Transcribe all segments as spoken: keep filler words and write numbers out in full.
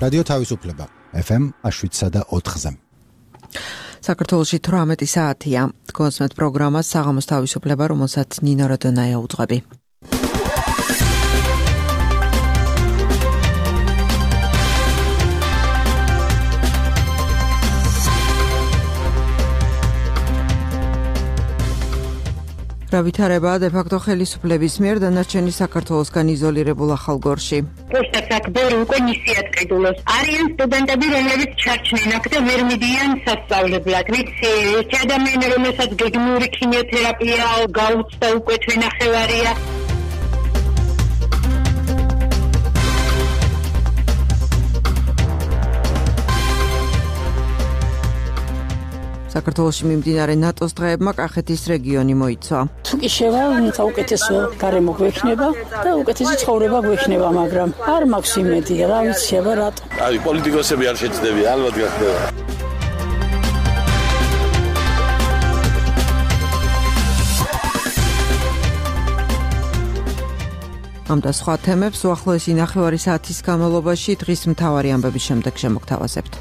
რადიო თავისუფლება ეფ ემ შვიდსა და ოთხზე. საქართველოში თვრამეტი საათია. გონსმეთ პროგრამას საღამოს თავისუფლება, რომელსაც ნინო როდონაია უძღვები. Ravitareba de facto ხელისუფლების მიერ დანარჩენი საქართველოსგან იზოლირებულ ახალგორში. Poștați actori უკვე მისიათ ყიდულოს. არიან სტუდენტები, რომლებიც ჩარჩნენ აქ და ვერ მიდიან სასწავლებლად. ვიცი, ერთი ადამიანი, რომელსაც გეგმიური ქიმიოთერაპია გაუწდა უკვე თვენახევარია. საქართველოში მიმდინარე ნატოს დღეებმა კახეთის რეგიონი მოიცვა. თუ კი შევა, საუკეთესო გარემო გვექნება და უკეთესი ცხოვრება გვექნება, მაგრამ არ მაქვს იმედი, რა ვიცი, აბა რატო. აი, პოლიტიკოსები არ შეჭდებიან, ალბათ გახდება. ამ და სხვა თემებს უახლოესი ნახევარი საათის განმავლობაში დღის მთავარი ამბების შემდეგ შემოგთავაზებთ.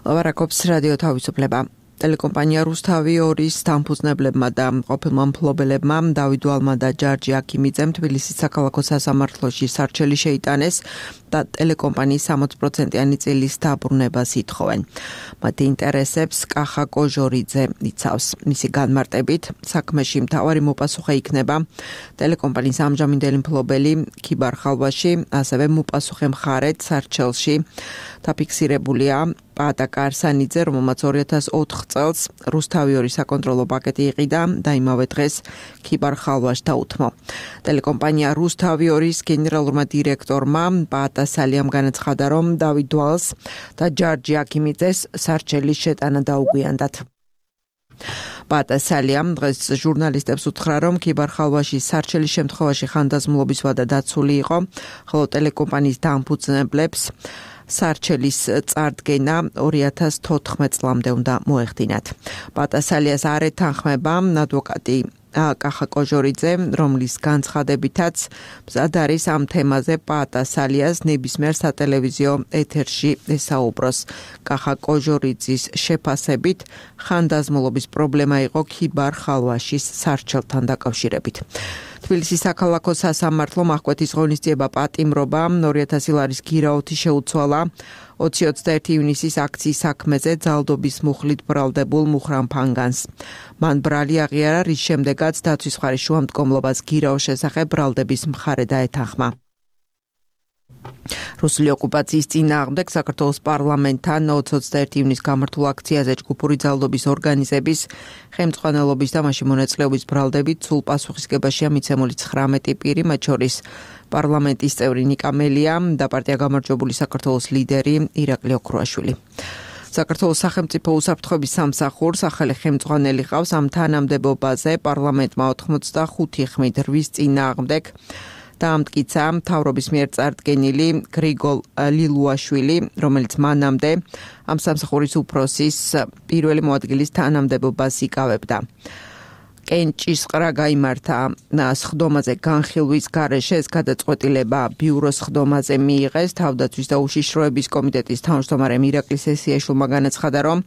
ლაპარაკობს რადიო თავისუფლება. ტელეკომპანია რუსთავი ორის დამფუძნებლებმა და ყოფილმა მფლობელებმა დავით ვალმა და ჯარჯი აქიმიძემ თბილისის საქალაქო სასამართლოში სარჩელი შეიტანეს და ტელეკომპანიის სამოცი პროცენტიანი წილის დაბრუნებას ითხოვენ. მათი ინტერესებს კახა კოჟორიძე იცავს. მისი განმარტებით, საქმეში მთავარი მოპასუხე იქნება ტელეკომპანიის ამჟამინდელი მფლობელი ქიბარ ხალვაში, ასევე მოპასუხე მხარეც სარჩელში დაფიქსირებულია პატა კარსანიძე, რომელმაც ორი ათას ოთხ წელს რუსთავი ორი საკონტროლო პაკეტი იყიდა და იმავე დღეს ქიბარ ხალვაში დაუთმო. ტელეკომპანია რუსთავი ორის გენერალურმა დირექტორმა პატა სალიამ განაცხადა, რომ დავით ვალს და ჯარჯი აქიმიძეს სარჩელის შეტანა დაუგვიანდათ. პატა სალიამ დღეს ჟურნალისტებს უთხრა, რომ ქიბარ ხალვაში სარჩელის შემთხვევაში ხანდაზმულობის ვადა დაცული იყო, ხოლო ტელეკომპანიის დამფუძნებლებს სარჩელის წარდგენა ორი ათას თოთხმეტ წლამდე უნდა მოეხდინათ. პატა სალიას არ ეთანხმება ადვოკატი კახა კოჟორიძე, რომლის განცხადებითაც მზად არის ამ თემაზე პატა სალიას ნებისმიერ სატელევიზიო ეთერში ესაუბროს. კახა კოჟორიძის შეფასებით ხანდაზმულობის პრობლემა იყო ქიბარ ხალვაშის სარჩელთან დაკავშირებით. თბილისის საქალაქო სასამართლომ აღკვეთის ღონისძიება პატიმრობა ორი ათასი ლარის გირაოთი შეუცვალა ოცი ოცდაერთი ივნისის აქციის საქმეზე ძალდობის მუხლით ბრალდებულ მუხრან ფანგანს. მან ბრალი აღიარა, რის შემდეგაც დაცვის მხარის შუამდგომლობას გირაოს შესახებ ბრალდების მხარე დაეთანხმა. რუსული ოკუპაციის წინააღმდეგ საქართველოს პარლამენტთან ოცი ოცდაერთი ივნისის გამართულ აქციაზე ჯგუფური ძალდობის ორგანიზების ხელმძღვანელობის და მასში მონაწილეობის ბრალდებით სულ პასუხისგებაშია მიცემული ცხრამეტი პირი, მათ შორის პარლამენტის წევრი ნიკა მელია და პარტია გამარჯვებული საქართველოს ლიდერი ირაკლი ოქრუაშვილი. საქართველოს სახელმწიფო უსაფრთხოების სამსახურს ახალი ხელმძღვანელი ყავს. ამ თანამდებობაზე პარლამენტმა ოთხმოცდახუთი ხმით რვის წინააღმდეგ დაამტკიცა მთავრობის მიერ წარდგენილი გრიგოლ ლილუაშვილი, რომელიც მანამდე ამ სამსახურის უფროსის პირველი მოადგილის თანამდებობას იკავებდა. კენჭისყრა გაიმართა სხდომაზე განხილვის გარეშე, ეს გადაწყვეტილება ბიუროს სხდომაზე მიიღეს. თავდაცვის და უშიშროების კომიტეტის თავმჯდომარემ ირაკლი სესიაშვილმა განაცხადა, რომ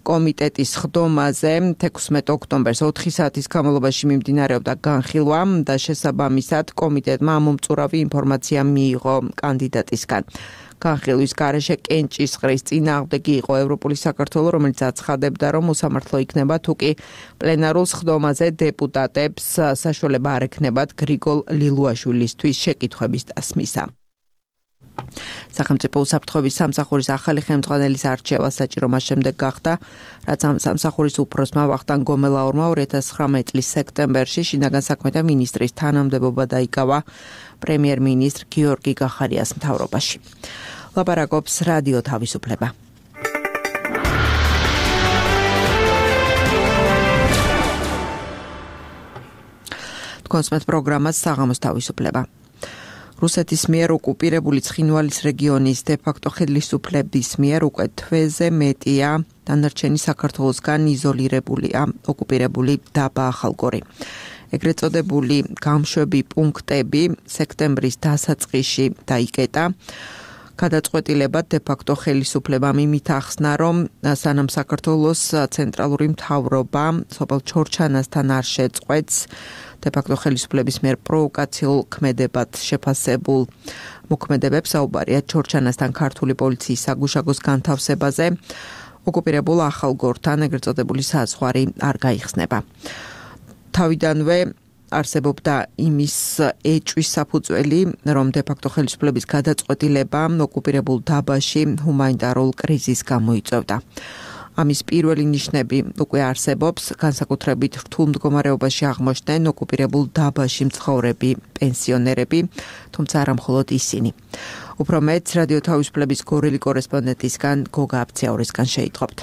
კომიტეტის სხდომაზე თექვსმეტ ოქტომბერს ოთხი საათის განმავლობაში მიმდინარეობდა განხილვა და შესაბამისად კომიტეტმა ამომწურავი ინფორმაცია მიიღო კანდიდატისგან. განხილვის გარეშე კენჭისყრის წინააღმდეგი იყო ევროპული საქართველო, რომელიც აცხადებდა, რომ უსამართლო იქნება თუკი პლენარულ სხდომაზე დეპუტატებს საშუალება არ ექნებათ გრიგოლ ლილუაშვილისთვის შეკითხვების დასმისა. სახელმწიფო უსაფრთხოების სამსახურის ახალი ხელმძღვანელის არჩევა საჭირო მას შემდეგ გახდა, რაც ამ სამსახურის უფროსმა ვახტანგ გომელაურმა ორი ათას ცხრამეტი წლის სექტემბერში შინაგან საქმეთა მინისტრის თანამდებობა დაიკავა პრემიერ-მინისტრ გიორგი გახარიას მთავრობაში. ლაპარაკობს რადიო თავისუფლება. გონსმეთ პროგრამას საღამოს თავისუფლება. რუსეთის მიერ ოკუპირებული ცხინვალის რეგიონის დე-ფაქტო ხელისუფლების მიერ უკვე თვეზე მეტია დანარჩენი საქართველოსგან იზოლირებულია ოკუპირებული დაბა ახალგორი. ეგრეთ წოდებული გამშვები პუნქტები სექტემბრის დასაწყისში დაიკეტა. გადაწყვეტილებად დე-ფაქტო ხელისუფლებამ იმით ახსნა, რომ სანამ საქართველოს ცენტრალური მთავრობა სოფელ ჩორჩანასთან არ შეწყვეტს დე-ფაქტო ხელისუფლების მიერ პროვოკაციულ ქმედებად შეფასებულ მოქმედებებს, საუბარია ჩორჩანასთან ქართული პოლიციის საგუშაგოს განთავსებაზე, ოკუპირებულ ახალგორთან ეგრეთ წოდებული საზღვარი არ გაიხსნება. თავიდანვე არსებობდა იმის ეჭვის საფუძველი, რომ დე-ფაქტო ხელისუფლების გადაწყვეტილება ოკუპირებულ დაბაში ჰუმანიტარულ კრიზისს გამოიწვევდა. ამის პირველი ნიშნები უკვე არსებობს, განსაკუთრებით რთულ მდგომარეობაში აღმოჩნდნენ ოკუპირებულ დაბაში მცხოვრები პენსიონერები, თუმცა არა მხოლოდ ისინი. უფრო მეც რადიო თავისუფლების გორელი კორესპონდენტისგან გოგა აბციაურისგან შეიტყობთ.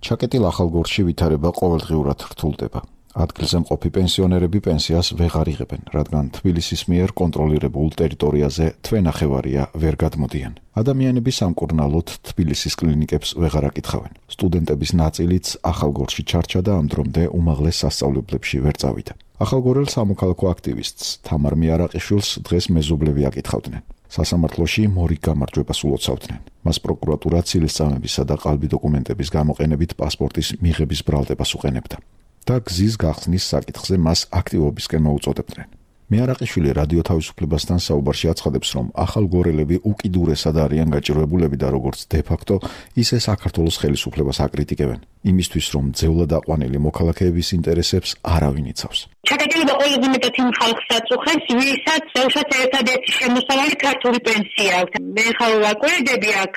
ჩაკეტილ ახალგორში ვითარება ყოველდღიურად რთულდება. ადგილზე მყოფი პენსიონერები პენსიას ვეღარ იღებენ, რადგან თბილისის მიერ კონტროლირებულ ტერიტორიაზე თვენახევარია ვერ გადმოდიან. ადამიანები სამკურნალოდ თბილისის კლინიკებს ვეღარ აკითხავენ. სტუდენტების ნაწილიც ახალგორში ჩარჩა და ამ დრომდე უმაღლეს სასწავლებლებში ვერ წავიდა. ახალგორელ სამოქალაქო აქტივისტს თამარ მიარაყიშვილს დღეს მეზობლები აკითხავდნენ. სასამართლოში მორიგ გამარჯვებას ულოცავდნენ. მას პროკურატურა ცილისწამებისა და ყალბი დოკუმენტების გამოყენებით პასპორტის მიღების ბრალდებას უყენებდა. და გზის გახსნის საკითხზე მას აქტივობისკენ მოუწოდებდნენ. მიარაყიშვილი რადიო თავისუფლებასთან საუბარში აცხადებს, რომ ახალგორელები უკიდურესად არიან გაჭირვებულები და როგორც დე-ფაქტო, ისე საქართველოს ხელისუფლებას აკრიტიკებენ, იმისთვის, რომ ძევლად აყვანილი მოქალაქეების ინტერესებს არავინ იცავს. ჩაკეტილება ყველაზე მეტად იმ ხალხს აწუხებს, ვისაც ზოგადად ერთადერთი შემოსავალი ქართული პენსია აქვს. მე ხარ ვაკვირდები აქ,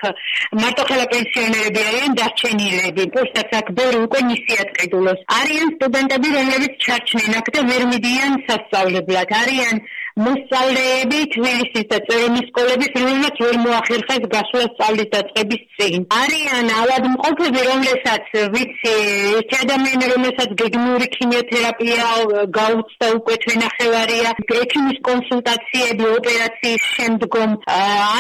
მარტოხელა პენსიონერები არიან დარჩენილები, პოსტაც აქ ბევრი უკვე ნისიად ყიდულობს. არიან სტუდენტები, რომლებიც ჩარჩნენ აქ და ვერ მიდიან სასწავლებლად. არიან მოსწავლეები თბილისის და წერონის სკოლების, რომელმაც ვერ მოახერხეს გასვლა სწავლის დაწყების წინ. არიან ავადმყოფები, რომლებსაც ვიცი, ერთი ადამიანი, რომელსაც გეგმიური ქიმიოთერაპია გაუწდა უკვე თვენახევარია, ექიმის კონსულტაციები ოპერაციის შემდგომ,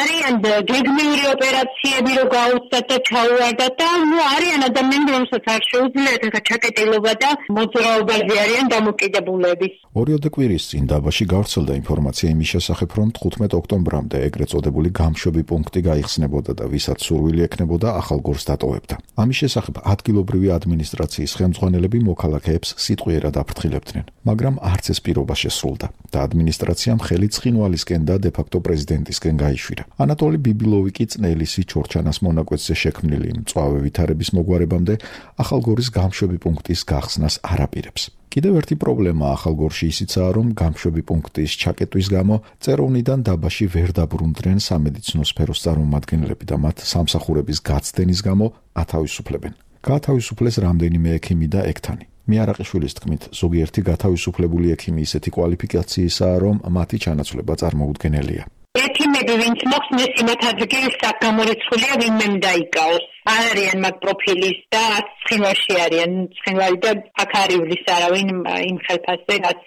არიან გეგმიური ოპერაციები რო გაუწდა და ჩაუვარდა და ნუ არიან ადამიანები, რომელსაც არ შეუძლიათ ახლა ჩაკეტილობა და მოძრაობაზე არიან დამოკიდებულები. ორიოდე კვირის წინ დაბაში გავრცელდა ინფორმაცია იმის შესახებ, რომ თხუთმეტ ოქტომბრამდე ეგრეთ წოდებული გამშვები პუნქტი გაიხსნებოდა და ვისაც სურვილი ექნებოდა ახალგორს დატოვებდა. ამის შესახებ ადგილობრივი ადმინისტრაციის ხელმძღვანელები მოქალაქეებს სიტყვიერად აფრთხილებდნენ, მაგრამ არც ეს პირობა შესრულდა და ადმინისტრაციამ ხელი ცხინვალისკენ და დე-ფაქტო პრეზიდენტისკენ გაიშვირა. ანატოლი ბიბილოვი კი წნელისი ჩორჩანას მონაკვეთზე შექმნილი მწვავე ვითარების მოგვარებამდე ახალგორის გამშვები პუნქტის გახსნას არ აპირებს. კიდევ ერთი პრობლემა ახალგორში ისიცაა, რომ გამშვები პუნქტის ჩაკეტვის გამო წეროვნიდან დაბაში ვერ დაბრუნდნენ სამედიცინო სფეროს წარმომადგენლები და მათ სამსახურების გაცდენის გამო ათავისუფლებენ. გაათავისუფლეს რამდენიმე ექიმი და ექთანი. მიარაყიშვილის თქმით, ზოგიერთი გათავისუფლებული ექიმი ისეთი კვალიფიკაციისაა, რომ მათი ჩანაცვლება წარმოუდგენელია. ექიმები, ვინც მოხსნეს იმათ ადგილს აქ გამორიცხულია, ვინმე დაიკავოს. არიან მაგ პროფილის და ცხინვალში არიან, ცხინვალი და აქ არ ივლის არავინ იმ ხელფასზე, რაც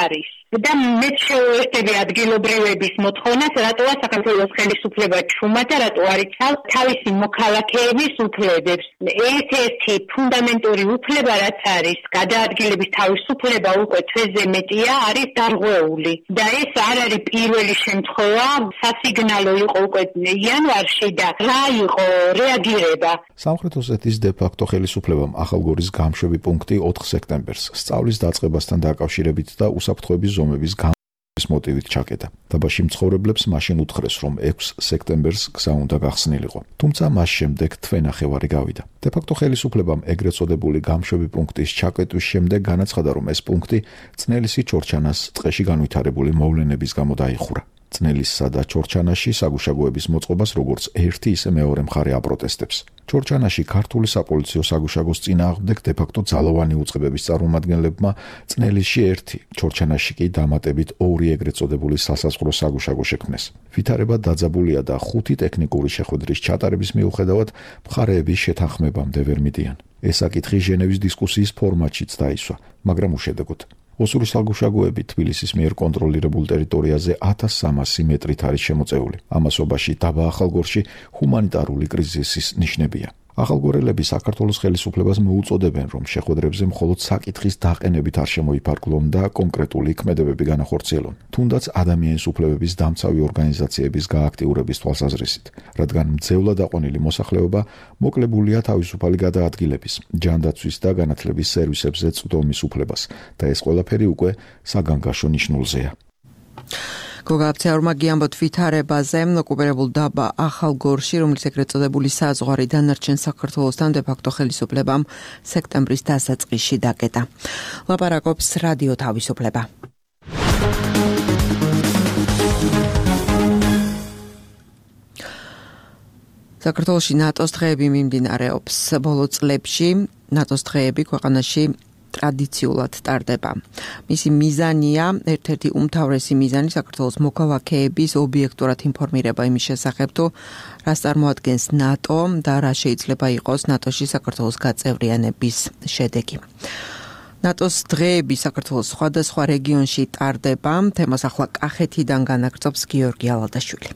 არის. და მე შევერთები ადგილობრივების მოთხოვნას, რატოა საქართველოს ხელისუფლება ჩუმა და რატო არ იცავს თავისი მოქალაქეების უფლებებს. ერთ-ერთი ფუნდამენტური უფლება, რაც არის გადაადგილების თავისუფლება, უკვე თვეზე მეტია, არის დარღვეული. და ეს არ არის პირველი შემთხვევა, სასიგნალო იყო უკვე იანვარში და რა იყო რეაგირება. სამხრეთ ოსეთის დე-ფაქტო ხელისუფლებამ ახალგორის გამშვები პუნქტი ოთხ სექტემბერს სწავლის დაწყებასთან დაკავშირებით და უსაფრთხოების ზომების გამოს მოტივით ჩაკეტა. დაბაში მცხოვრებლებს მაშინ უთხრეს, რომ ექვსი სექტემბერს გზა უნდა გახსნილიყო. თუმცა მას შემდეგ თვენახევარი გავიდა. დე-ფაქტო ხელისუფლებამ ეგრეთ წოდებული გამშვები პუნქტის ჩაკეტვის შემდეგ განაცხადა, რომ ეს პუნქტი წნელისი ჩორჩანას ტყეში განვითარებული მოვლენების გამო დაიხურა. წნელისსა და ჩორჩანაში საგუშაგოების მოწყობას როგორც ერთი ისე მეორე მხარე აპროტესტებს. ჩორჩანაში ქართული საპოლიციო საგუშაგოს წინააღმდეგ დე-ფაქტო ძალოვანი უწყებების წარმომადგენლებმა წნელისში ერთი, ჩორჩანაში კი დამატებით ორი ეგრეთ წოდებული სასაზღვრო საგუშაგო შექმნეს. ვითარება დაძაბულია და ხუთი ტექნიკური შეხვედრის ჩატარების მიუხედავად მხარეების შეთანხმებამდე ვერ მიდიან. ეს საკითხი ჟენევის დისკუსიის ფორმატშიც დაისვა, მაგრამ უშედეგოდ. ოსურის საგუშაგოები თბილისის მიერ კონტროლირებულ ტერიტორიაზე ათას სამასი მეტრით არის შემოწეული. ამასობაში დაბა ახალგორში ჰუმანიტარული კრიზისის ნიშნებია. ახალგორელები საქართველოს ხელისუფლებას მოუწოდებენ, რომ შეხვედრებზე მხოლოდ საკითხის დაყენებით არ შემოიფარგლონ და კონკრეტული ქმედებები განახორციელონ, თუნდაც ადამიანის უფლებების დამცავი ორგანიზაციების გააქტიურების თვალსაზრისით, რადგან მძევლად აყვანილი მოსახლეობა მოკლებულია თავისუფალი გადაადგილების, ჯანდაცვის და განათლების სერვისებზე წვდომის უფლებას და ეს ყველაფერი უკვე საგანგაშო ნიშნულზეა. გოგაბცეორმა გიამბოთ ვითარებაზე ოკუპირებულ დაბა ახალგორში, რომლის ეგრეთ წოდებული საზღვარი დანარჩენ საქართველოსთან დე-ფაქტო ხელისუფლებამ სექტემბრის დასაწყისში დაკეტა. ლაპარაკობს რადიო თავისუფლება. საქართველოში ნატოს დღეები მიმდინარეობს. ბოლო წლებში ნატოს დღეები ქვეყანაში ტრადიციულად ტარდება. მისი მიზანია, ერთ-ერთი უმთავრესი მიზანი საქართველოს მოქალაქეების ობიექტურად ინფორმირება იმის შესახებ, თუ რას წარმოადგენს ნატო და რა შეიძლება იყოს ნატოში საქართველოს გაწევრიანების შედეგი. ნატოს დღეები საქართველოს სხვადასხვა რეგიონში ტარდება. თემას ახლა კახეთიდან განაგრძობს გიორგი ალადაშვილი.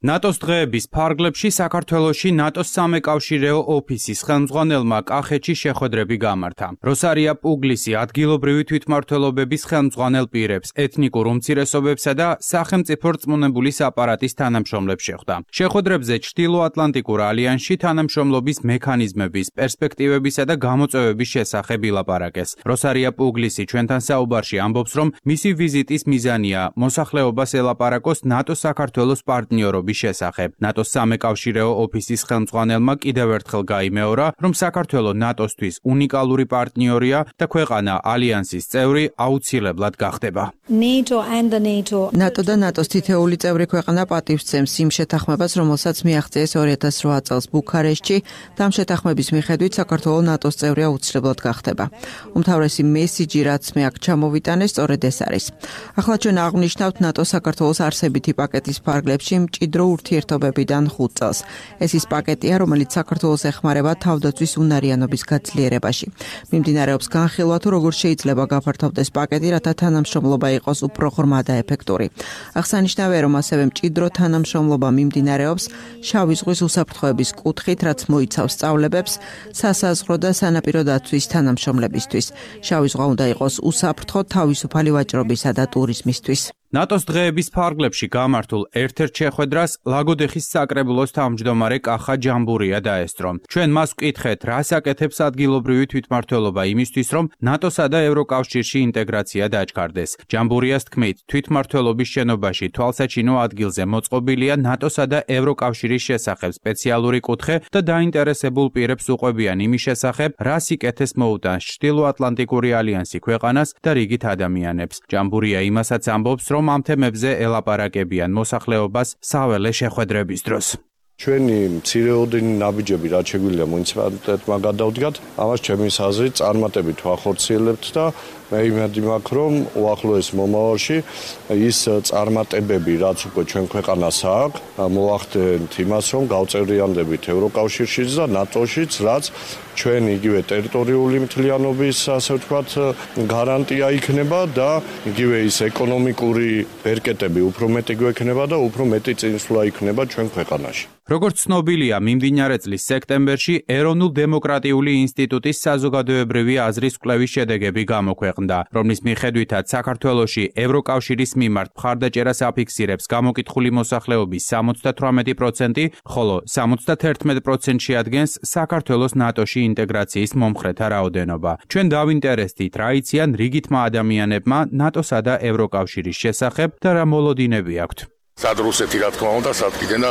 ნატოს დღეების ფარგლებში საქართველოში ნატოს სამეკავშირეო ოფისის ხელმძღვანელმა კახეთში შეხვედრები გამართა. როსარია პუგლისი ადგილობრივი თვითმმართველობების ხელმძღვანელ პირებს, ეთნიკურ უმცირესობებსა და სახელმწიფო რწმუნებული აპარატის თანამშრომლებს შეხვდა. შეხვედრებზე ჩრდილოატლანტიკურ ალიანსში თანამშრომლობის მექანიზმების, პერსპექტივებისა და გამოწვევების შესახებ ილაპარაკეს. როსარია პუგლისი ჩვენთან საუბარში ამბობს, რომ მისი ვიზიტის მიზანია მოსახლეობას ელაპარაკოს ნატოს საქართველოს პარტნიორობის შესახებ. ნატოს სამეკავშირეო ოფისის ხელმძღვანელმა კიდევ ერთხელ გაიმეორა, რომ საქართველო ნატოსთვის უნიკალური პარტნიორია და ქვეყანა ალიანსის წევრი აუცილებლად გახდება. ნატო და ნატოს თითეული წევრი ქვეყანა პატივსცემს იმ შეთანხმებას, რომელსაც მიაღწიეს ორი ათას რვა წელს ბუქარესტში და ამ შეთანხმების მიხედვით საქართველო ნატოს წევრი აუცილებლად გახდება. უმთავრესი მესიჯი, რაც მე აქ ჩამოვიტანე, სწორედ ეს არის. ახლა ჩვენ აღვნიშნავთ ნატო საქართველოს არსებითი პაკეტის ფარგლებში მჭიდრო ურთიერთობებიდან ხუთ წელს. ეს ის პაკეტია, რომელიც საქართველოს ეხმარება თავდაცვის უნარიანობის გაძლიერებაში. მიმდინარეობს განხილვა, თუ როგორ შეიძლება გაფართოვდეს პაკეტი, რათა თანამშრომლობა იყოს უფრო ღრმა და ეფექტური. აღსანიშნავია, რომ ასევე მჭიდრო თანამშრომლობა მიმდინარეობს შავი ზღვის უსაფრთხოების კუთხით, რაც მოიცავს სწავლებებს, სასაზღვრო და სანაპირო დაცვის თანამშრომლებისთვის. შავი ზღვა უნდა იყოს უსაფრთხო, თავისუფალი ვაჭრობისა და ტურიზმისთვის. ნატოს დღეების ფარგლებში გამართულ ერთ-ერთ შეხვედრას ლაგოდეხის საკრებულოს თავმჯდომარე კახა ჯამბურია დაესწრო. ჩვენ მას ვკითხეთ, რას აკეთებს ადგილობრივი თვითმმართველობა იმისთვის, რომ ნატოსა და ევროკავშირში ინტეგრაცია დაჩქარდეს. ჯამბურიას თქმით, თვითმმართველობის შენობაში თვალსაჩინო ადგილზე მოწყობილია ნატოსა და ევროკავშირის შესახებ სპეციალური კუთხე და დაინტერესებულ პირებს უყვებიან იმის შესახებ, რა სიკეთეს მოუტანს ჩრდილოატლანტიკური ალიანსი ქვეყანას და რიგით ადამიანებს. ჯამბურია იმასაც ამბობს, რომ ამ თემებზე ელაპარაკებიან მოსახლეობას საველე შეხვედრების დროს. ჩვენი მცირეოდენი ნაბიჯები რაც შეგვიძლია მუნიციპალიტეტმა გადავდგათ, ამას ჩემი აზრით წარმატებით ვახორციელებთ და მე იმედი მაქვს, რომ უახლოეს მომავალში ის წარმატებები, რაც უკვე ჩვენ ქვეყანას აქვს, მოახდენთ იმას, რომ გავწევრიანდებით ევროკავშირშიც და ნატოშიც, რაც ჩვენ იგივე ტერიტორიული მთლიანობის, ასე ვთქვათ, გარანტია იქნება და იგივე ის ეკონომიკური ბერკეტები უფრო მეტი გვექნება და უფრო მეტი წინსვლა იქნება ჩვენ ქვეყანაში. როგორც ცნობილია, მიმდინარე წლის სექტემბერში ეროვნულ დემოკრატიული ინსტიტუტის საზოგადოებრივი აზრის კვლევის შედეგები გამოქვეყნდა, რომლის მიხედვითაც საქართველოში ევროკავშირის მიმართ მხარდაჭერას აფიქსირებს გამოკითხული მოსახლეობის სამოცდათვრამეტი პროცენტი, ხოლო სამოცდაერთმეტ პროცენტში ადგენს საქართველოს ნატოში ინტეგრაციის მომხრეთა რაოდენობა. ჩვენ დავინტერესდით, რა იციან რიგითმა ადამიანებმა ნატოსა და ევროკავშირის შესახებ და რა მოლოდინები აქვთ. სად რუსეთი რა თქმა უნდა, სად კიდენა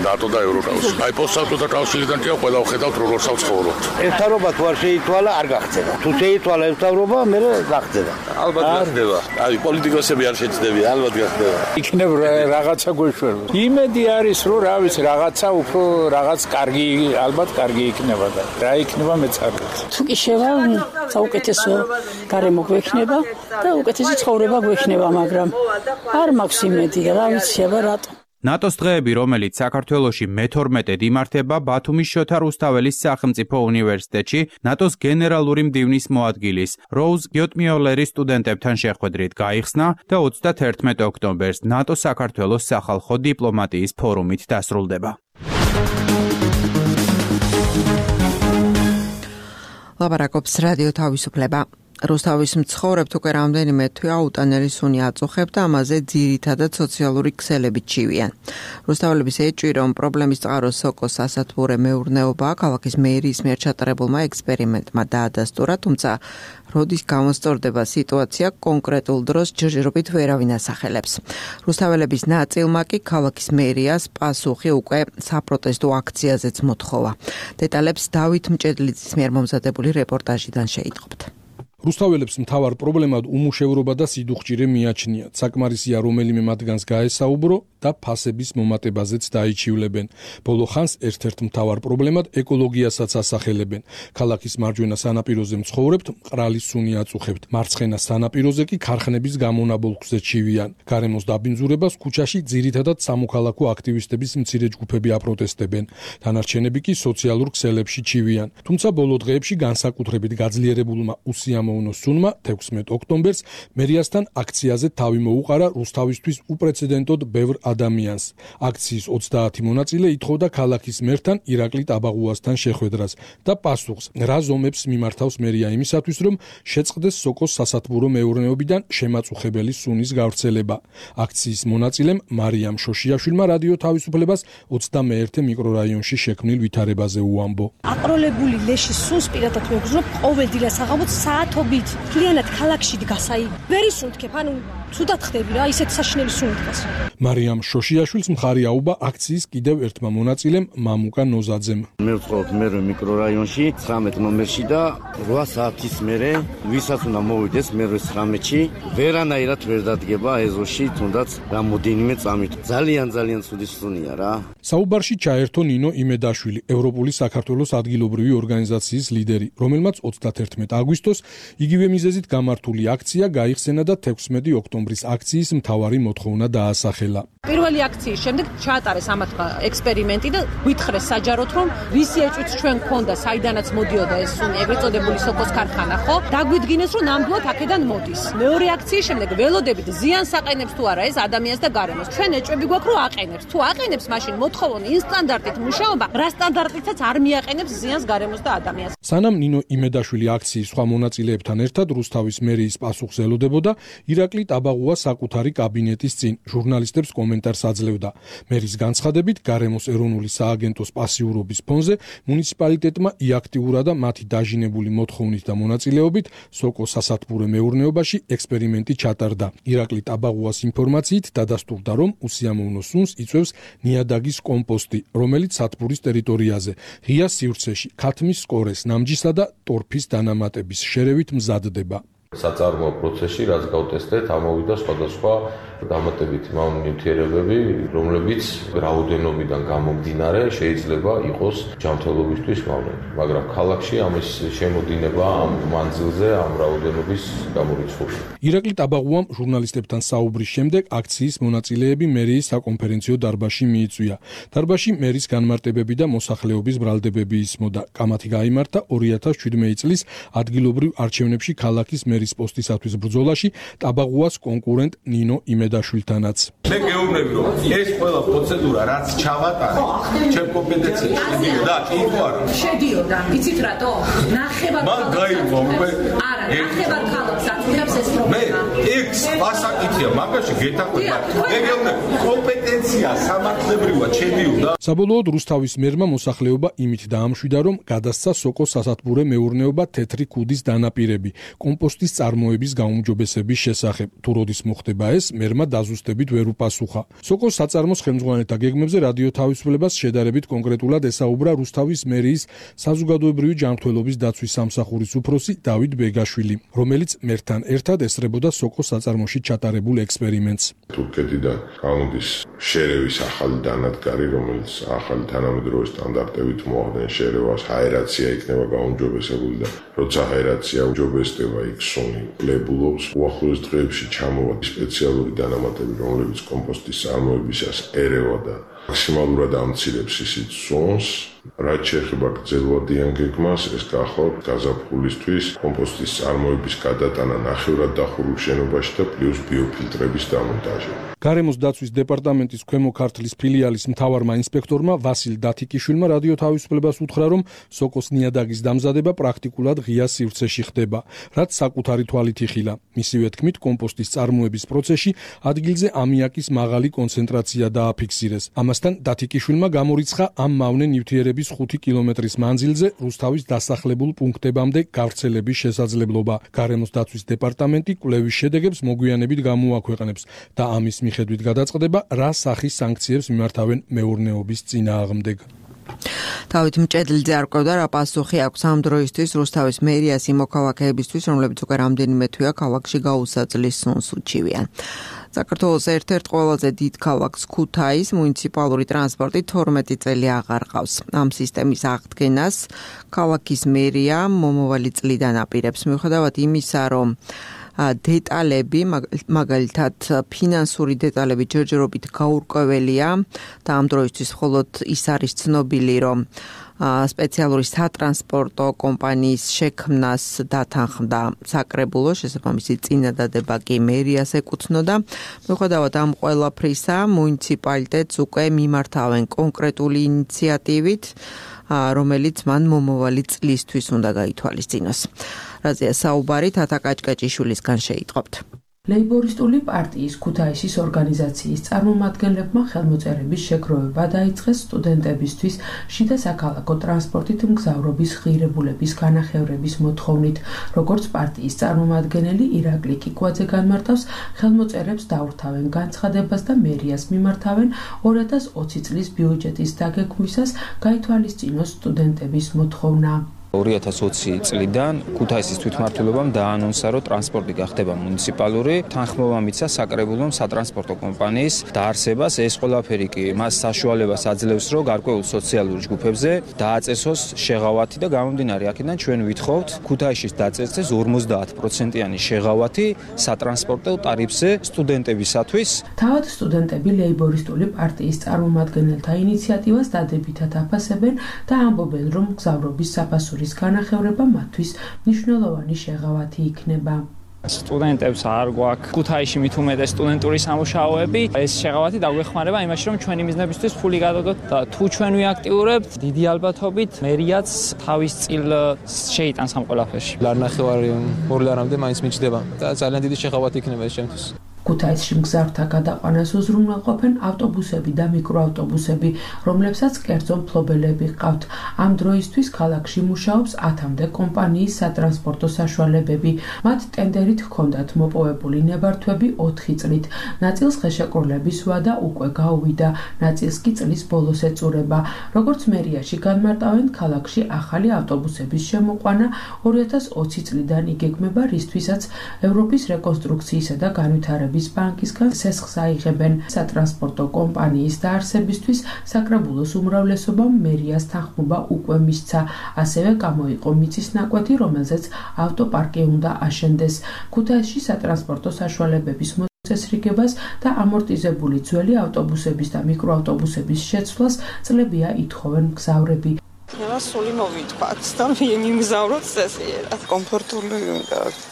ნატო და ევროკავშირი. აი პოსტსაბჭოთა კავშირიდან კი ყველა ვხედავთ როგორ საცხოვრობთ. ერთარობა თუ არ შეითვალა, არ გახდება. თუ შეითვალა ერთარობა, მე გახდება. ალბათ გახდება. აი პოლიტიკოსები არ შეჭდებიან, ალბათ გახდება. იქნებ რაღაცა გვეშველა. იმედი არის, რომ რა ვიცი, რაღაცა უფრო რაღაც კარგი, ალბათ კარგი იქნება და რა იქნება მეც არ ვიცი. თუ კი შევა, საუკეთესო გარემო გვექნება და უკეთესი ცხოვრება გვექნება, მაგრამ არ მაქვს იმედი და რა ვიცი. ნატოს დღეები, რომელიც საქართველოში მეთორმეტედ იმართება ბათუმის შოთა რუსთაველის სახელმწიფო უნივერსიტეტში, ნატოს გენერალური მდივნის მოადგილის როუზ გიოტმიოლერის სტუდენტებთან შეხვედრით გაიხსნა და ოცდაათერთმეტ ოქტომბერს ნატო-საქართველოს სახალხო დიპლომატიის ფორუმით დასრულდება. ლაპარაკობს რადიო თავისუფლება. რუსთავის მცხოვრებთ უკვე რამდენიმე თვე აუტანელი სუნი აწუხებთ და ამაზე ძირითადად სოციალური ქსელებით ჩივიან. რუსთაველების ეჭვი, რომ პრობლემის წყაროს სოკოს სასათბურე მეურნეობაა, ქალაქის მერიის მიერ ჩატარებულმა ექსპერიმენტმა დაადასტურა, თუმცა როდის გამოსწორდება სიტუაცია, კონკრეტულ დროს ჯერჯერობით ვერავინ ასახელებს. რუსთაველების ნაწილმა კი ქალაქის მერიას პასუხი უკვე საპროტესტო აქციაზეც მოთხოვა. დეტალებს დავით მჭედლიძის მიერ მომზადებული რეპორტაჟიდან შეიტყობთ. რუსთაველებს მთავარ პრობლემად უმუშევრობა და სიდუხჭირე მიაჩნიათ. საკმარისია რომელიმე მათგანს გაესაუბრო და ფასების მომატებაზეც დაიჩივლებენ. ბოლო ხანს ერთ-ერთ მთავარ პრობლემად ეკოლოგიასაც ასახელებენ. ქალაქის მარჯვენა სანაპიროზე მცხოვრებთ მყრალი სუნი აწუხებთ. მარცხენა სანაპიროზე კი ქარხნების გამონაბოლქვზე ჩივიან. გარემოს დაბინძურებას ქუჩაში ძირითადად სამოქალაქო აქტივისტების მცირე ჯგუფები აპროტესტებენ. დანარჩენები კი სოციალურ ქსელებში ჩივიან. თუმცა ბოლო დღეებში განსაკუთრებით გაძლიერებულმა უსიამო სუნმა თექვსმეტ ოქტომბერს მერიასთან აქციაზე თავი მოუყარა რუსთავისთვის უპრეცედენტოდ ბევრ ადამიანს. აქციის ოცდაათი მონაწილე ითხოვდა ქალაქის მერთან ირაკლი ტაბაღუასთან შეხვედრას და პასუხს, რა ზომებს მიმართავს მერია იმისათვის, რომ შეწყდეს სოკოს სასათბურო მეურნეობიდან შემაწუხებელი სუნის გავრცელება. აქციის მონაწილემ მარიამ შოშიაშვილმა რადიო თავისუფლებას ოცდამეერთე მიკრორაიონში შექმნილ ვითარებაზე უამბო. აყროლებული ლეშის სუნს პირადად მეგზნობ ყოველდღე საღამოთ საათობით. კლიანად ქალაქში დგას, აი, ვერ ისუნთქებ, ანუ ცუდად ხდები რა, ისეთ საშინელი სუნი დგას. მარიამ შოშიაშვილს მხარი აუბა აქციის კიდევ ერთმა მონაწილემ მამუკა ნოზაძემ. მე ვწყობ მერვე მიკრორაიონში, ცხრამეტ ნომერში და რვა საათის მერე ვისაც უნდა მოვიდეს მერვე ცხრამეტში, ვერანაირად ვერ დადგება ეზოში, თუნდაც რამოდენიმე წამით. ძალიან ძალიან ცუდი სუნია რა. საუბარში ჩაერთო ნინო იმედაშვილი, ევროპული საქართველოს ადგილობრივი ორგანიზაციის ლიდერი, რომელმაც ოცდაათერთმეტ აგვისტოს იგივე მიზეზით გამართული აქცია გაიხსენა და თექვსმეტი ოქტომბრის აქციის მთავარი მოთხოვნა დაასახელა. პირველი აქციის შემდეგ ჩაატარეს ამათმა ექსპერიმენტი და გვითხრეს საჯაროდ, რომ ვისი ეჭვიც ჩვენ გქონდა, საიდანაც მოდიოდა ეს სუნი, ეგრეთ წოდებული სოკოს ქარხანა, ხო? დაგვიდგინეს, რომ ნამდვილად აქედან მოდის. მეორე აქციის შემდეგ ველოდებით ზიანს აყენებს თუ არა ეს ადამიანს და გარემოს. ჩვენ ეჭვები გვაქვს, რომ აყენებს. თუ აყენებს, მაშინ მოთხოვონ ინსტანდარტით მუშაობა, რა სტანდარტითაც არ მიაყენებს ზიანს გარემოს და ადამიანს. სანამ ნინო იმედაშვილი აქციის სხვა მონაწილეებთან ერთად რუსთავის მერიის პასუხს ელოდებოდა, ირაკლი ტაბაღუა საკუთარი კაბინეტის წინ ჟურნალისტებს კომენტარს აძლევდა. მერის განცხადებით, გარემოს ეროვნული სააგენტოს პასიურობის ფონზე მუნიციპალიტეტმა იაქტიურა და მათი დაჟინებული მოთხოვნით და მონაწილეობით სოკოს სასათბურე მეურნეობაში ექსპერიმენტი ჩატარდა. ირაკლი ტაბაღუას ინფორმაციით დადასტურდა, რომ უსიამოვნო სუნს იწვევს ნიადაგის კომპოსტი, რომელიც სათბურის ტერიტორიაზე, ღია სივრცეში, ქათმის სკორეს, ნამჯისა და ტორფის დანამატების შერევით მზადდება. საწარმოო პროცესში, რაც გავტესტეთ, ამოვიდა სხვადასხვა დამატებითი ნივთიერებები, რომლებიც რაოდენობიდან გამომდინარე შეიძლება იყოს ჯანმრთელობისთვის მავნე. მაგრამ ქალაქში ამის შემოდინება ამ მანძილზე, ამ რაოდენობის გამორიცხული. ირაკლი ტაბაღუამ ჟურნალისტებთან საუბრის შემდეგ აქციის მონაწილეები მერიის საკონფერენციო დარბაზში მიიწვია. დარბაზში მერის განმარტებები და მოსახლეობის ბრალდებები ისმოდა. კამათი გაიმართა ორი ათას შვიდმეტი წლის ადგილობრივ არჩევნებში ქალაქის მერის პოსტისათვის ბრძოლაში ტაბაღუას კონკურენტ ნინო იმედაშვილთანაც. მე გეუბნები, რომ ეს ყველა პროცედურა, რაც ჩავატარე, ჩემ კომპეტენციაში შედიოდა, იყო არა? შედიოდა, იცით რატო? ნახევარ მან გაიგო უკვე. არა, ნახევარ ხალხს აწუხებს ეს პრობლემა. მე იქ ასაკითხია, მაგაში გეთაყვება. მე გეუბნები, კომპეტენცია სამართლებრივად შედიოდა. საბოლოოდ რუსთავის მერმა მოსახლეობა იმით დაამშვიდა, რომ გადასცა სოკოს სასათბურე მეურნეობა თეთრი ქუდის დანაპირები, კომპოსტის წარმოების გაუმჯობესების შესახებ. თუ როდის მოხდება ეს, მერმა დაზუსტებით ვერ უპასუხა. სოკოს საწარმოს ხელმძღვანელთა გეგმებზე რადიო თავისუფლებას შედარებით კონკრეტულად ესაუბრა რუსთავის მერიის საზოგადოებრივი ჯანმრთელობის დაცვის სამსახურის უფროსი დავით ბეგაშვილი, რომელიც მერთან ერთად ესწრებოდა სოკოს საწარმოში ჩატარებულ ექსპერიმენტს. თურქეთიდან გამოდის შერევის ახალი დანადგარი, რომელიც ახალი თანამედროვე სტანდარტებით მოახდენ შერევას, აერაცია იქნება გაუმჯობესებული და როცა აერაცია უმჯობესდება იქ პერსონი ლებულობს უახლოეს დღეებში ჩამოვა სპეციალური დანამატები, რომლებიც კომპოსტის წარმოებისას ერევა და მაქსიმალურად ამცირებს ისიც ზონს. რაც შეეხება გრძელვადიან გეგმას, ეს გახლავთ გაზაფხულისთვის კომპოსტის წარმოების გადატანა ნახევრად დახურულ შენობაში და პლუს ბიოფილტრების დამონტაჟი. გარემოს დაცვის დეპარტამენტის ქვემო ქართლის ფილიალის მთავარმა ინსპექტორმა ვასილ დათიკიშვილმა რადიო თავისუფლებას უთხრა, რომ სოკოს ნიადაგის დამზადება პრაქტიკულად ღია სივრცეში ხდება, რაც საკუთარი თვალით იხილა. მისივე თქმით, კომპოსტის წარმოების პროცესში ადგილზე ამიაკის მაღალი კონცენტრაცია დააფიქსირეს. ამასთან დათიკიშვილმა გამორიცხა ამ მავნე ნივთიერების ხუთი კილომეტრის მანძილზე რუსთავის დასახლებულ პუნქტებამდე გავრცელების შესაძლებლობა. გარემოს დაცვის დეპარტამენტი კვლევის შედეგებს მოგვიანებით გამოაქვეყნებს და ამის მიხედვით გადაწყდება, რა სახის სანქციებს მიმართავენ მეურნეობის წინააღმდეგ. თავით მჭედლიძე არ ყვევდა, რა პასუხი აქვს ამ დროისთვის რუსთავის მერიას იმ მოქალაქეებისთვის, რომლებიც უკვე რამდენიმე თვეა ქალაქში გაუსაძლის სუნს უჩივიან. საქართველოს ერთ-ერთ ყველაზე დიდ ქალაქს ქუთაის მუნიციპალური ტრანსპორტი თორმეტი წელი აღარ ყავს. ამ სისტემის აღდგენას ქალაქის მერია მომავალი წლიდან აპირებს, მიუხედავად იმისა, რომ დეტალები, მაგალითად ფინანსური დეტალები ჯერჯერობით გაურკვეველია და ამ დროისთვის მხოლოდ ის არის ცნობილი, რომ სპეციალური სატრანსპორტო კომპანიის შექმნას დათანხმდა საკრებულო, შესაბამისი წინადადება კი მერიას ეკუთვნოდა. მიუხედავად ამ ყველაფრისა, მუნიციპალიტეტს უკვე მიმართავენ კონკრეტული ინიციატივით, რომელიც მან მომავალი წლისთვის უნდა გაითვალისწინოს. რაზეა საუბარი თათა კაჭკაჭიშვილისგან შეიტყობთ. ლეიბორისტული პარტიის ქუთაისის ორგანიზაციის წარმომადგენლებმა ხელმოწერების შეგროვება დაიწყეს სტუდენტებისთვის შიდა საქალაქო ტრანსპორტით მგზავრობის ღირებულების განახევრების მოთხოვნით. როგორც პარტიის წარმომადგენელი ირაკლი კიკვაძე განმარტავს, ხელმოწერებს დაურთავენ განცხადებას და მერიას მიმართავენ ორი ათას ოცი წლის ბიუჯეტის დაგეგმვისას გაითვალისწინოს სტუდენტების მოთხოვნა. ორი ათას ოცი წლიდან ქუთაისის თვითმმართველობამ დაანონსა, რომ ტრანსპორტი გახდება მუნიციპალური, თანხმობა მიცა საკრებულო სატრანსპორტო კომპანიის დაარსებას. ეს ყველაფერი კი მას საშუალებას აძლევს, რომ გარკვეულ სოციალურ ჯგუფებზე დააწესოს შეღავათი და გამომდინარე აქედან ჩვენ ვითხოვთ ქუთაისის დაწესდეს ორმოცდაათ პროცენტიანი შეღავათი სატრანსპორტო ტარიფზე სტუდენტებისათვის. თავად სტუდენტები ლეიბორისტული პარტიის წარმომადგენელთა ინიციატივას დადებითად აფასებენ და ამბობენ, რომ მგზავრობის საფასური განახევრება მათთვის მნიშვნელოვანი შეღავათი იქნება. სტუდენტებს არ გვაქვს ქუთაისში მით უმეტეს სტუდენტური სამუშაოები. ეს შეღავათი დაგვეხმარება იმაში, რომ ჩვენი მიზნებისთვის ფული გადავდოთ და თუ ჩვენ ვიაქტიურებთ, დიდი ალბათობით მერიაც თავის წილ შეიტანს ამ ყველაფერში. ლარნახევარი ორი ლარამდე მაინც მიჩნდება და ძალიან დიდი შეღავათი იქნება ეს ჩემთვის. ქუთაისში მგზავრთა გადაყვანას უზრუნველყოფენ ავტობუსები და მიკროავტობუსები, რომლებსაც კერძო მფლობელები ჰყავთ. ამ დროისთვის ქალაქში მუშაობს ათამდე კომპანიის სატრანსპორტო საშუალებები. მათ ტენდერით ჰქონდათ მოპოვებული ნებართვები ოთხი წლით. ნაწილს ხელშეკრულების ვადა უკვე გაუვიდა, ნაწილს კი წლის ბოლოს ეწურება. როგორც მერიაში განმარტავენ, ქალაქში ახალი ავტობუსების შემოყვანა ორი ათას ოცი წლიდან იგეგმება, რისთვისაც ევროპის რეკონსტრუქციისა და განვითარების ბანკისგან სესხს აიღებენ. სატრანსპორტო კომპანიის დაარსებისთვის საკრებულოს უმრავლესობამ მერიას თანხმობა უკვე მისცა. ასევე გამოიყო მიწის ნაკვეთი, რომელზეც ავტოპარკი უნდა აშენდეს. ქუთაისში სატრანსპორტო საშუალებების მოწესრიგებას და ამორტიზებული ძველი ავტობუსების და მიკროავტობუსების შეცვლას წლებია ითხოვენ მგზავრები. სული მოვიწყოთ და მიმგზავროთ წესიერად. კომფორტული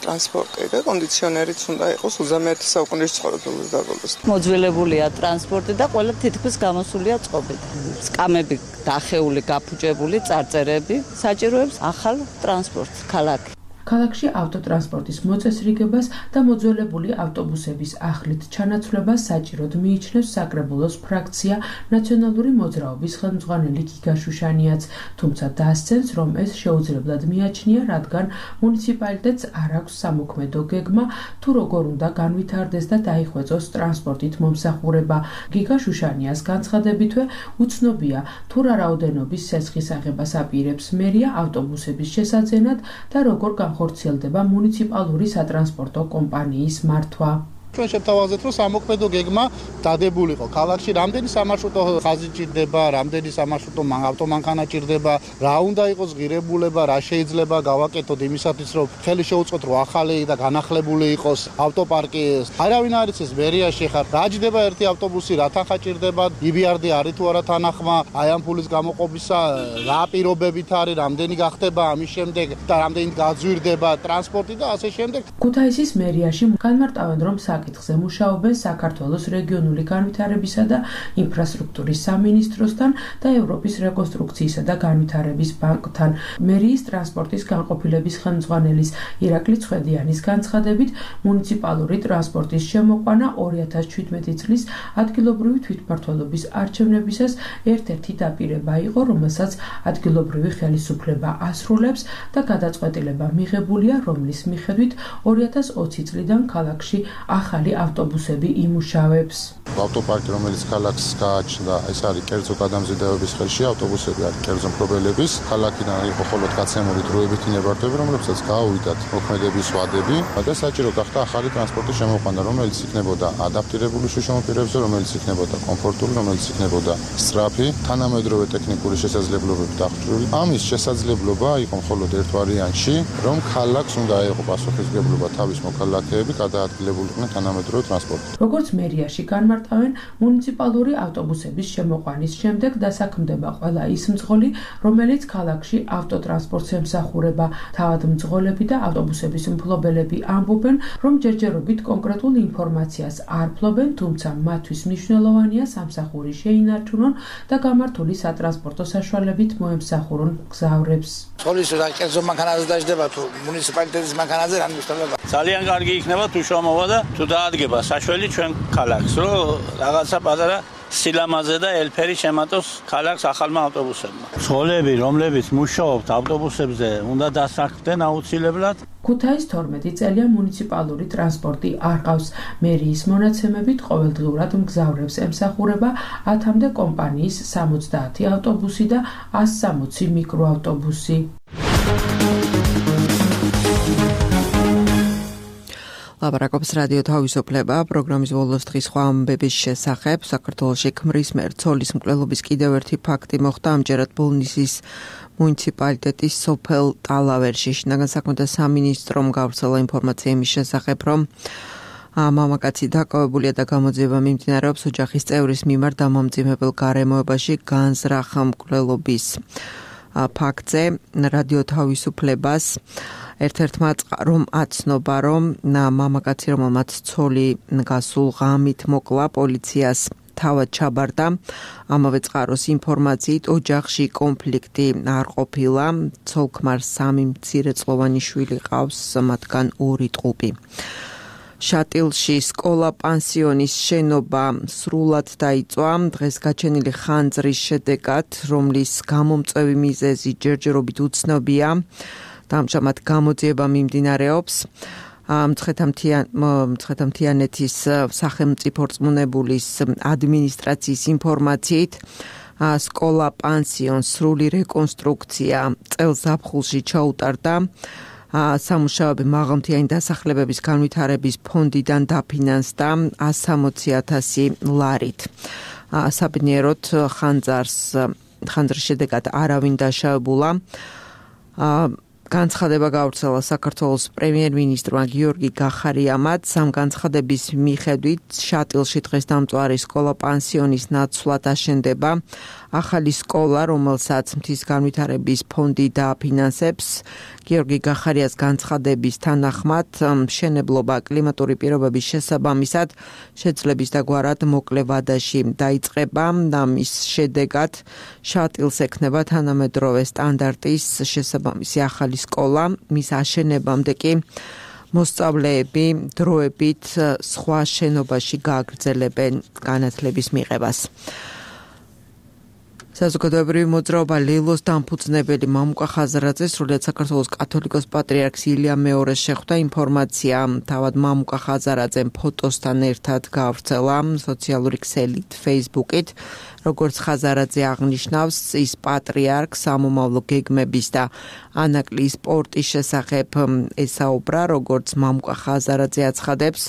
ტრანსპორტი და კონდიციონერიც უნდა იყოს ოცდამეერთე საუკუნის ცხოვრებულს დაბოლოს. მოძველებულია ტრანსპორტი და ყველა თითქმის გამოსულია წყობით. სკამები დახეული, გაფუჭებული, წარწერები საჭიროებს ახალ ტრანსპორტს ქალაქი. ქალაქში ავტოტრანსპორტის მოწესრიგებას და მოძველებული ავტობუსების ახლით ჩანაცვლებას საჭიროდ მიიჩნევს საკრებულოს ფრაქცია ნაციონალური მოძრაობის ხელმძღვანელი გიგა შუშანიაც, თუმცა დასცენს, რომ ეს შეუძლებლად მიაჩნია, რადგან მუნიციპალიტეტს არ აქვს სამოქმედო გეგმა, თუ როგორ უნდა განვითარდეს და დაიხვეწოს ტრანსპორტით მომსახურება. გიგა შუშანიას განცხადებითვე უცნობია, თუ რა რაოდენობის სესხის აღებას აპირებს მერია ავტობუსების შესაძენად და როგორ განხორციელდება მუნიციპალური სატრანსპორტო კომპანიის მართვა. ჩვენ შევთავაზეთ, რომ სამოქმედო გეგმა დადებულიყო. ქალაქში რამდენი სამარშრუტო ხაზი ჭირდება, რამდენი სამარშრუტო ავტომანქანა ჭირდება, რა უნდა იყოს ღირებულება, რა შეიძლება გავაკეთოთ იმისათვის, რომ ხელი შეუწყოთ, რომ ახალი და განახლებული იყოს ავტოპარკი. არავინ არ იცის მერიაში ხარ. რა ჭირდება ერთი ავტობუსი, რა თანხა ჭირდება, იბიარდი არის თუ არა თანახმა, აი ამ ფულის გამოყოფისა რა პირობებით არის, რამდენი გახდება ამის შემდეგ და რამდენი გაძვირდება ტრანსპორტი და ასე შემდეგ. ქუთაისის მერიაში განმარტავენ, რომ საკითხზე მუშაობენ საქართველოს რეგიონული განვითარებისა და ინფრასტრუქტურის სამინისტროსთან და ევროპის რეკონსტრუქციისა და განვითარების ბანკთან. მერიის ტრანსპორტის განყოფილების ხელმძღვანელის ირაკლი ცხედიანის განცხადებით, მუნიციპალური ტრანსპორტის შემოყვანა ორი ათას შვიდმეტი წლის ადგილობრივი თვითმმართველობის არჩევნებისას ერთ-ერთი დაპირება იყო, რომელსაც ადგილობრივი ხელისუფლება ასრულებს და გადაწყვეტილება მიღებულია, რომლის მიხედვით ორი ათას ოცი წლიდან ქალაქში ახალი ავტობუსები იმუშავებს. ავტოპარკი, რომელიც ქალაქს გააჩნდა, ეს არის კერძო გადამზიდავების ხელში, ავტობუსები არის კერძო მფლობელების. ქალაქიდან იყო მხოლოდ გაცემული დროებითი ნებართვები, რომლებსაც გააუვიდათ მოქმედების ვადები და საჭირო გახდა ახალი ტრანსპორტის შემოყვანა, რომელიც იქნებოდა ადაპტირებული შუშემო პირებზე, რომელიც იქნებოდა კომფორტული, რომელიც იქნებოდა სწრაფი, თანამედროვე ტექნიკური შესაძლებლობებით აღჭურვილი. ამის შესაძლებლობა იყო მხოლოდ ერთ ვარიანტში, რომ ქალაქს უნდა აეღო პასუხისმგებლობა თავის მოქალაქეები გადაადგილებულიყვნენ თანამედროვე ტრანსპორტით. როგორც მერიაში განმარტავენ, მუნიციპალური ავტობუსების შემოყვანის შემდეგ დასაქმდება ყველა ის მძღოლი, რომელიც ქალაქში ავტოტრანსპორტს ემსახურება. თავად მძღოლები და ავტობუსების მფლობელები ამბობენ, რომ ჯერჯერობით კონკრეტულ ინფორმაციას არ ფლობენ, თუმცა მათთვის მნიშვნელოვანია სამსახური შეინარჩუნონ და გამართული სატრანსპორტო საშუალებით მოემსახურონ მგზავრებს. სკოლის რა კერძო მანქანაზე დაждდება თუ მუნიციპალიტეტის მანქანაზე რა მნიშვნელობა? ძალიან კარგი იქნება თუ შემოვა და თუ დაადგება საშველი ჩვენ ქალაქს, რომ რაღაცა პატარა სილამაზე და ელფერი შემატოს ქალაქს ახალმა ავტობუსებმა. სკოლები, რომლებიც მუშაობთ ავტობუსებზე, უნდა დასაქმდნენ აუცილებლად. ქუთაის თორმეტი წელია მუნიციპალური ტრანსპორტი არ ყავს. მერიის მონაცემებით ყოველდღიურად მგზავრებს ემსახურება ათამდე კომპანიის სამოცდაათი ავტობუსი და ას სამოცი მიკროავტობუსი. ლაპარაკობს რადიო თავისუფლება პროგრამის ბოლოს დღის სხვა ამბების შესახებ. საქართველოში ქმრის მერცოლის მკვლელობის კიდევ ერთი ფაქტი მოხდა. ამჯერად ბოლნისის მუნიციპალიტეტის სოფელ ტალავერში. შინაგან საქმეთა სამინისტრომ გავრცელა ინფორმაცია იმის შესახებ, რომ მამაკაცი დაკავებულია და გამოძიება მიმდინარეობს ოჯახის წევრის მიმართ დამამძიმებელ გარემოებაში განზრახ მკვლელობის ფაქტზე. რადიო თავისუფლებას ერთ-ერთმა წყარომ აცნობა, რომ მამაკაცი, რომელმაც ცოლი გასულ ღამით მოკლა, პოლიციას თავად ჩაბარდა. ამავე წყაროს ინფორმაციით ოჯახში კონფლიქტი არ ყოფილა. ცოლ-ქმარს სამი მცირეწლოვანი შვილი ყავს, მათგან ორი ტყუპი. შატილში სკოლა-პანსიონის შენობა სრულად დაიწვა. დღეს გაჩენილი ხანძრის შედეგად, რომლის გამომწვევი მიზეზი ჯერჯერობით უცნობია. ამჟამად გამოძიება მიმდინარეობს. მცხეთა-მთიანეთის სახელმწიფო რწმუნებულის ადმინისტრაციის ინფორმაციით, სკოლა-პანსიონს სრული რეკონსტრუქცია წელს ზაფხულში ჩაუტარდა. სამუშაოები მაღალმთიანი დასახლებების განვითარების ფონდიდან დაფინანსდა ას სამოცი ათასი ლარით. საბედნიეროდ ხანძარს ხანძრის შედეგად არავინ დაშავებულა. განცხადება გავრცელა საქართველოს პრემიერ-მინისტრმა გიორგი გახარიამაც. ამ განცხადების მიხედვით შატილში დღეს დამწვარი სკოლა-პანსიონის ნაცვლად აშენდება ახალი სკოლა, რომელსაც მთის განვითარების ფონდი დააფინანსებს. გიორგი გახარიას განცხადების თანახმად, მშენებლობა კლიმატური პირობების შესაბამისად შეძლების დაგვარად მოკლე ვადაში დაიწყება. ამის შედეგად შატილს ექნება თანამედროვე სტანდარტის შესაბამისი ახალი სკოლა. მის აშენებამდე კი მოსწავლეები დროებით სხვა შენობაში გააგრძელებენ განათლების მიღებას. საზოგადოებრივი მოძრაობა ლილოს დამფუძნებელი მამუკა ხაზარაძე სრულიად საქართველოს კათოლიკოს პატრიარქს ილია მეორეს შეხვდა. ინფორმაცია თავად მამუკა ხაზარაძემ ფოტოსთან ერთად გავრცელა სოციალური ქსელით Facebook-ით. როგორც ხაზარაძე აღნიშნავს, ის პატრიარქს სამომავლო გეგმების და ანაკლის სპორტის შესახებ ესაუბრა, როგორც მამუკა ხაზარაძე აცხადებს.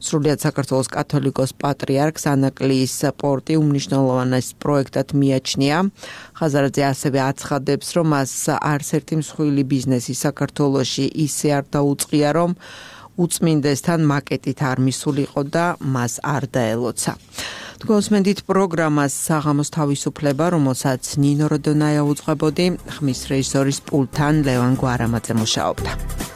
სრულიად საქართველოს კათოლიკოს პატრიარქს ანაკლიის სპორტი უმნიშვნელოვანეს პროექტად მიაჩნია. ხაზარაძე ასევე აცხადებს, რომ მას არც ერთი მსხვილი ბიზნესი საქართველოში ისე არ დაუწყია, რომ უწმინდესთან მაკეტით არ მისულიყო და მას არ დაელოცა. თქვენსმენდით პროგრამას საღამოს თავისუფლება, რომელსაც ნინო როდონაია უძღვებოდი, ხმის რეჟისორის პულტთან ლევან გვარამაძე მუშაობდა.